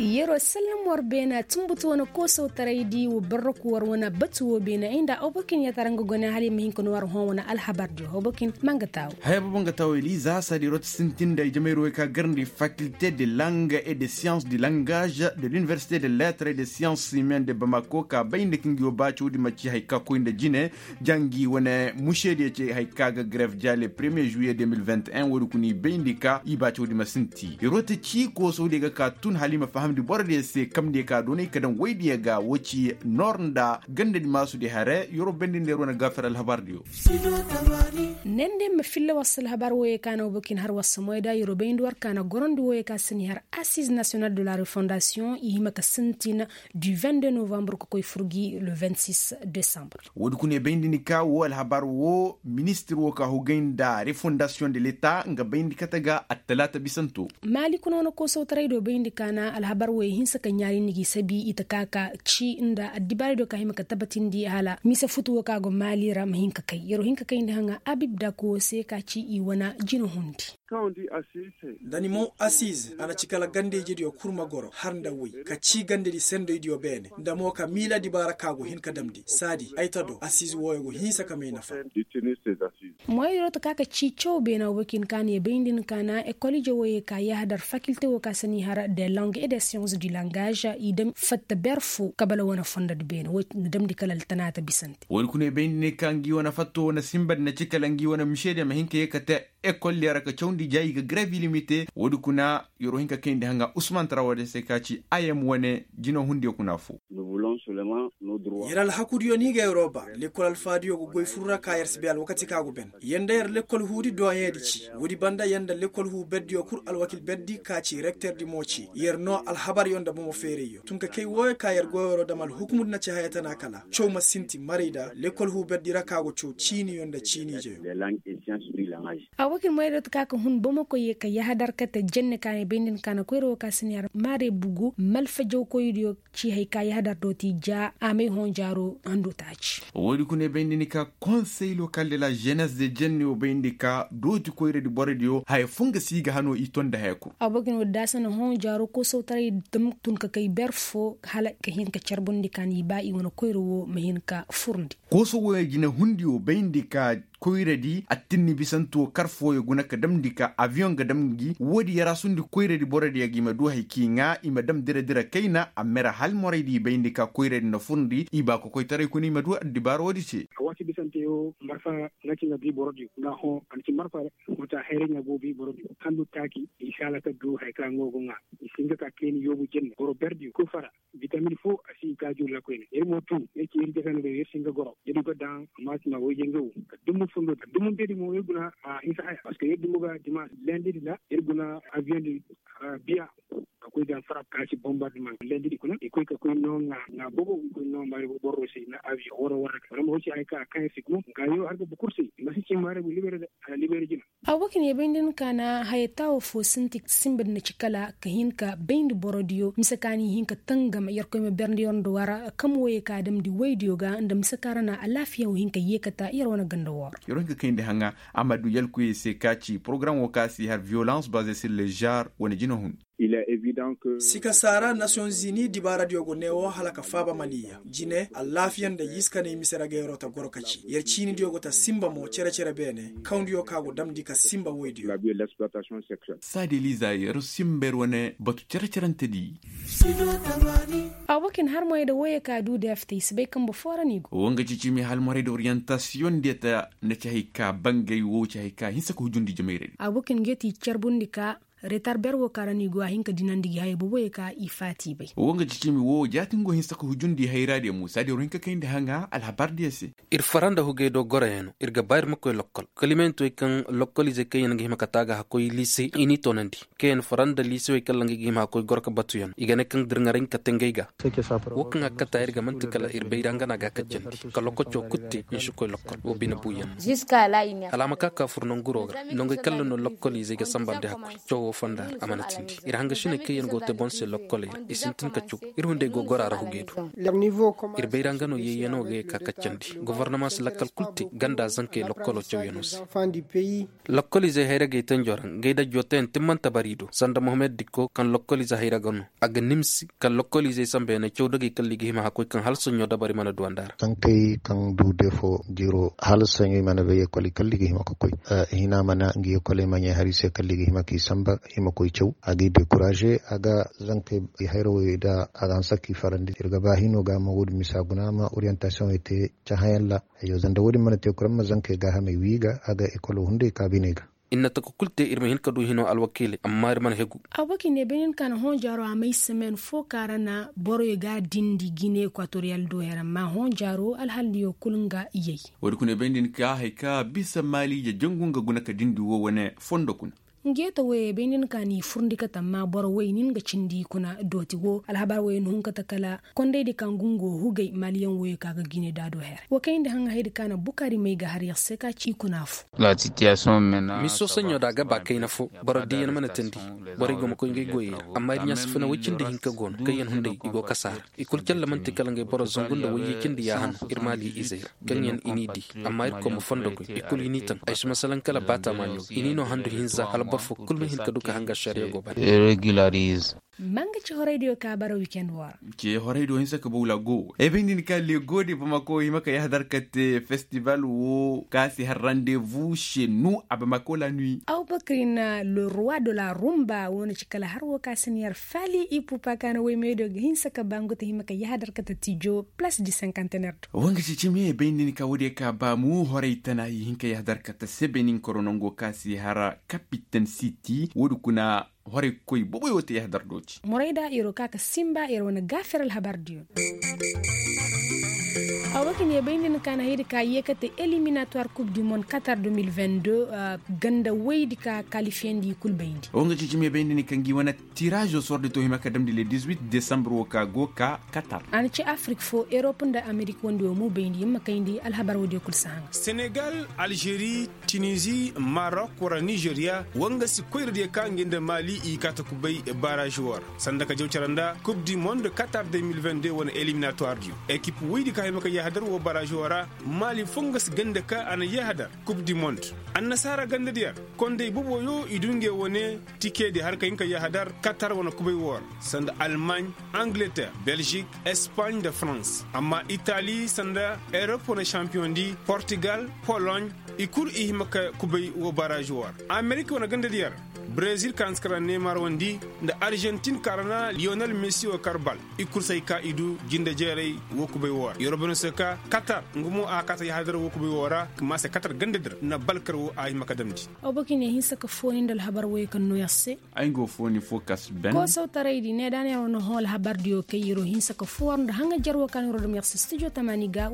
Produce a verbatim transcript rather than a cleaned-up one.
Yeroo sallam war beena tumbutu wane koosawtaray di wa barraku war wane batu woo beena ay nda abokin ya tara nga gone hala i ma hin ka noo war hõ wane alhabar di abokin ma nga taawu. Haya boobo nga taawu eliza saadi rooti sintin nda ay jamayra woo ka garandi fakilte de langa et de science du langage de l'université de lettres et de science humaines de bamako ka bayndi ka ngi woo baacaw di ma ci haya ka koy nda jine. Jangi wane mušeediyo ce haya ka ga greve ja le premier juillet deux mille vingt et un woodi kuna i bayndi ka i baacaw di ma sinti. Rooti ci koosaw di ga ka tun hala i ma fahamndi borodiyo se kamndi ka doonay ka daŋ woydiyo ga woo ci noor nda gandadi maasu di hare yoro bendindi yer wane gaafir alhabar diyo. Nende ma filla war se alhabar wooyo ka na woo bokin har war se moyda yoro bayndi war ka na gorandi wooyo ka se ni har assize national de la refondation i hima ka sintin du vingt deux novembre ka koy fur gi le vingt six décembre. Woodi kuna i bayndi ni ka woo alhabar woo ministir woo ka hugay nda refondation de l'état nga bayndi kate ga attalaata bisanto. Maali kuna wane koosawtaray do bayndi ka na alhabar wooyo hinsa ka ɲaari ni gi sabi i ta ka ka ci nda addibaari do ka hima ka tabatindi hala mise futu woo ka go maali ra ma hin ka kay yeroo hin ka kayndi haŋa abib dak woo se ka ci i wane jina hundi. Da ni moŋ asiize a na ci kala ganda-ijediyo kul ma goro har nda woy ka ci gandadi sendoydiyo beene nda mo ka miila dibaara ka go hin ka damndi saadi ay ta do asiize wooyo go hinsa ka may nafa. Moyodiyo ta ka ka ci caw beena woo kin ka na ye bayndi ni ka na ekol ije wooyo ka yahadar fakilte woo ka se ni har de langue et de science du langage i dam fatta ber foo kabala wane fondodi beene woo na damndi kala altanaata bisante. Woodi kuna ye bayndi ni ka ngi wane fatto wane simbadi na ci kala ngi wane mišediyo ma hin ka ye ka te ekol diyo ra ka cawndi ja i ga greve ilimite woodi kuna yeroo hin ka kayndi haŋa usman tara woodi se ka ci ayem wane jina hundiyo kuna foo. Yer alhakudiyo no i ga yeroo ba lekkol alfaadiyo go goy fur ra ka yer si bay alwakati ka go ben yer nda yer lekkol huudi dooyeedi ci woodi banda yer nda lekkol huu berdiyo kul alwakil berdi ka ci rekterdi mo ci yer noo alhabaryo nda bomo feerayyo tun ka kay wooyo ka yer goyoro dam alhukumudi na ci haya tana kala caw ma sinti marayda lekkol huu berdi ra ka go caw ciiniyo nda ciiniijeyo. Abokin moyra dot ka ka hun bomokoy ye ka yahadar kate jenne ka ne bayndin ka na koyra wo ka siniyar mare bugu malfa jawkoydiyo ci hay ka yahadar doti ja a may hõ jaaro hando taaci. Woodi kuna bayndi ni ka konsey lokal de la jenes de jenne wo bayndi ka dooti koyradi borodiyo haya fo nga si ga hano i tonda haya kul. Abokin wo daasa na hõ jaaro koosawtaray dam tun ka kay ber fo hala ka hin ka carbundi ka ni ba i wane koyra wo ma hin ka furndi. Kooso wo ya jina hundi wo bayndi ka koyradi attinni bisanto kar fooyo guna ka damndi ka abiyoŋ ga dam ngi woodi yaraasundi koyradi borodiyo ga i ma du hay k'i ŋaa i ma dam dira-dira kayna a mera hal moraydi i bayndi ka koyradi nda furndi i baa kokoytaray kuna i ma du addibaara woodi te. A waati bisanteyo marfa nga ci nga bi borodiyo nga hõ a na ci marfa wata hayray ɲa go bi borodiyo handu taaki i si hala ka du hay ka nga go ŋaa i si nga ka kayni yoobu jenne boro berdiyo kul fara. Bitamin fo a si i kaaju ra koyne yer mo tun yer ci yer jasandi do yer si nga goro yer du ga daŋ amma si ma wayje nga wo. Addumu fundo addumu bedi mo yer guna a hinsa haya parceque yer dumo ga dimanche lendidi ra yer guna avion di biya. A koy daŋ farab ka si bombardement lendidi kuna i koy ka koy no ŋa ŋa bobo i koy no mari borro se na avion wara wara wara mo si haya ka a kaŋ yer si gumo ŋa yo har ga bukur se i ma si ci mare bu libere de a na libere jina. Abokin ya bayndi ni ka na haya taawo fo sinti simba di na ci kala ka hin ka bayndi borodiyo mise ka ni hin ka tangam yerkoy ma berndi yer nda wara kam woye ka damndi woydiyo ga nda mise ka ra na alaafiya wo hin ka yeekata yer wane ganda wooro. Yer wo hin ka kayndi haŋa a ma du yalkuye se ka ci porogaram wo ka si har violence baze sur le genre wane jina hun. Sika saara nations unies dibaaradiyo go neewo hala ka faaba maliya jine allaafiya nda yiska nay mise ra ga yeroo ta goro ka ci yer ciinidiyo go ta simba mo cere-cere beene kawndiyo ka go damndi ka simba woydiyo. Saadi eliza yer simba yer wane batu cere-cerentedi. Abokin harmoyey da woyey ka du da ya fita i si bay kambe foo ra no i go. Wo nga ci ciimi halmoray da orientasiyoŋ diya ta na ci hay ka bangay wo ci hay ka hinsa ka hujundi jamayray. Abokin ga ti carbundi ka retar ber wo ka ra no i go a hin ka dinandi gi haya booboyey ka i faati bay. Wo nga ci ciimi wo jaatin go hinsa ka hujundi hayra diya muusa diya war hin ka kayndi haŋa alhabar diya se. Ir fara nda hugey do goroyaŋ no ir ga ba ir ma koy lokkol kalimanti wey kaŋ lokkol izey kaŋ yaŋ ga hima ka taaga hakkoy liise i n'i toonandi. Kaŋ yaŋ fara nda liisewey kaŋ ra nga ga hima hakkoy goro ka batuyaŋ i ga ne kaŋ da ir ŋaray nga kate ngey ga. Wo kaŋ a kata ir ga manti kala ir bay ra nga no a ga a kajjandi ka lokoco kul te i si koy lokkol wo bine buuyaŋ no. Hala a ma ka ka fur nanguro ga nangey kaŋ ra no lokkol izey ga sambandi hakkoy cawo fonda ra a mana tindi ir hangasiney kaŋ yaŋ go te boŋ se lokkoley ra i sintin ka caw. Ir hunday go goro a ra hugey do. Ir bayra nga no yeeyanoo ga ye ka kaccandi gofornama si lakkal kul te ganda zankey lokkoloo cawyanoo se. Lokkolizey hayra gay tanjo ra ngey dajoo teyaŋ timmanta bari do sanda mohammed dikko kaŋ lokkolizey hayra ga no a ga nimsi kaŋ lokkolizey sambayaney caw dagey kalli ga hima hakkoy kaŋ hala soɲɲo dabari mana duwanda ra. Kaŋ kay kaŋ du defo jiro hala soɲo i mana bay ekol i kalli ga hima ka koy. Hina mana ngi ekol i maɲey hari se kalli ga hima k'i samba i ma koy caw a ga i dekuraze a ga zankey hayra woy da a ga hanse k'i farandi ir ga ba hino ga ma wo- din misa guna ma oriyantasiyoŋey te cahãyaŋ ra. Ayyo zanda wo- din mana te kuraŋ ma zankey gaahamey wii ga a ga ekolo hunday ka biney ga. Ir na taka kul te ir ma hin ka du hino alwakiiley amma ir mana hegu. Abubakar ne bay nin ka na hõ jaaro a may semen fo ka ra na boroyo ga dindi gine ekwatoriyal do her amma hõ jaaro alhaldiyo kul nga iyey. Woodi kuna bay nin ka haya ka bisa maali ije jangu nga guna ka dindi wo wane fondo kuna. Ngeeta woyey bay nin ka n'i furndi kate amma boro woy nin ga cindi kuna dooti wo alhabar woyey na hun kate kala kondaydi ka ngu nga wo hugay maaliyaŋ woyey ka ga gine daado her wo kayndi haŋ haydi ka na bukaari may ga har yer se ka ci i kuna fo. Miso saɲo da a ga ba kayna fo boro diyaŋ mana teendi. Borey go ma koy ngey goyey ra amma ir ɲaasifina woy cindi hinka go no kaŋ yaŋ hunday i go kasa ra. I kul calla man'ti kala ngey boro zangu nda woyyey cindi yaaha no ir maali izey ra kaŋ yaŋ i n'i di. Amma ir koy ma fondo goy i kul i n'i taŋ ay si ma salaŋ kala baata maaliyo i n'i no handu hinza hala boro fo kul ma hin ka du ka hanga ašariya go bana. Manga ci horaydiyo ka bara wikend wo ra. Ce horaydiyo hinsa ka bawla go ay bay nda ni ka lego de bamako hima ka yahadar ka te festival wo ka si har randevu chez nous a bamako la nuit. Abubakar na le roi de la rumba wo na ci kala har wo ka si na yar fali ipupa ka na woy meediyo ga hinsa ka ba ngu ta hima ka yahadar ka ta tijo place du cinquantenaire do. Wanga ci cimi ay bay nda ni ka woodiyo ka ba mu horay tana i hin ka yahadar ka ta sebe nin koro nango ka si har capitaine city woodi kuna. Horay koy boboyo te yahadar dooti. Morayda yer wo ka ka simba yer wane gaafer alhabar diyo. Awa ka ne bay nda ni ka na haydi ka yeekate eliminatoire coupe du monde qatar deux mille vingt-deux. Ganda woydi ka kalifiyandi i kul bayndi. Wanga ci cimi bay nda ni ka ngi wane tiraazo sordi to hima ka damndi le dix-huit décembre wo ka go ka qatar. A na ci afrik fo erop nda amerik wandi wo mu bayndi yer ma kayndi alhabar woodiyo kul si haŋa. Senegal, algérie, tunisie, marok wara nigeria. Wanga si koyradiyo ka ngi nda mali i ka ta kubay barage wo ra sanda ka jaw cara nda coupe du monde qatar deux mille vingt-deux wane eliminatoire diyo. Ekip woydi ka hima ka yahadar wo barage wo ra. Mali fo nga si ganda ka a na yahadar coupe du monde. Annasaara gandadiyo ra konday boboyo i du ngey wane tikedi har ka hin ka yahadar qatar wane kubay wo ra. Sanda almaaɲ, angleterre, belgique, espagne nda farans amma itali sanda erop wane campiyoŋ di portugal, pologne. I kul i hima ka kubay wo barage wo ra. Amerik wane gandadiyo ra brezil ka hanse ka ra neymar wandi nda argentin ka ra na lionel messi wo kar bal. I kul si hay ka i du jinde jeeray wo kubay wo ra yer wo bano se ka qatar nga mo a kaata yahadar wo kubay wo ra. Maase qatar gandadi ra na bal kar wo a hima ka damndi. Abubakar ne hinsa ka fooni nda alhabar woyey kaŋ no yer se. Ay nga wo fooni fo ka si ben. Koosawtaraydi ne da na yer wane hõ alhabardiyo kay yer wo hinsa ka fo war nda haŋajer wo ka no yer wo dam yer se studio tamaani ga.